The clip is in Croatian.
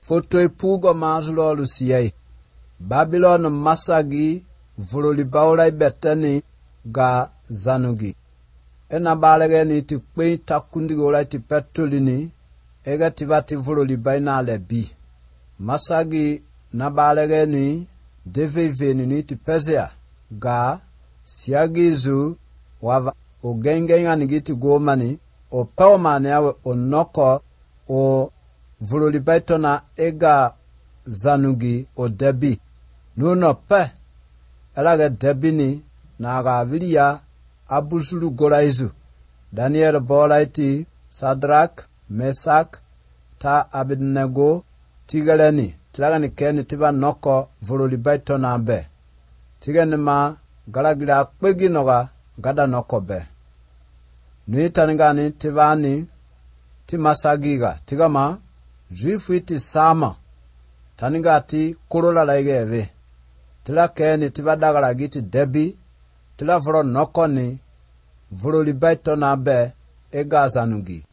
Foto ipugo mazlo lusiye. Babylon masagi vololi baulai betani ga zanugi. Ena balege ni ti kwe takundi gola ti petolini. Ega tibati vololi baina lebi. Masagi na balege ni deveve ni ti pezea. Ga siagizu wava o gengenga ni giti gomani. O pawmane awe o noko o vololi baitona ega zanugi o debi. Nuno pe elaga debini na gavilia abusulu golaizu. Daniel bolaiti Sadrak, Mesak, ta Abednego, tigaleni, tlagani keni tiba noko vololi baitona be. Tigani ma galagira kwegi noga gada noko be. Nui tanigani tivani timasagiga tigama juifu iti sama tanigati kurola laigeve tila keni tibadagala giti debi tila voro nokoni vololi baito na be ega zanugi.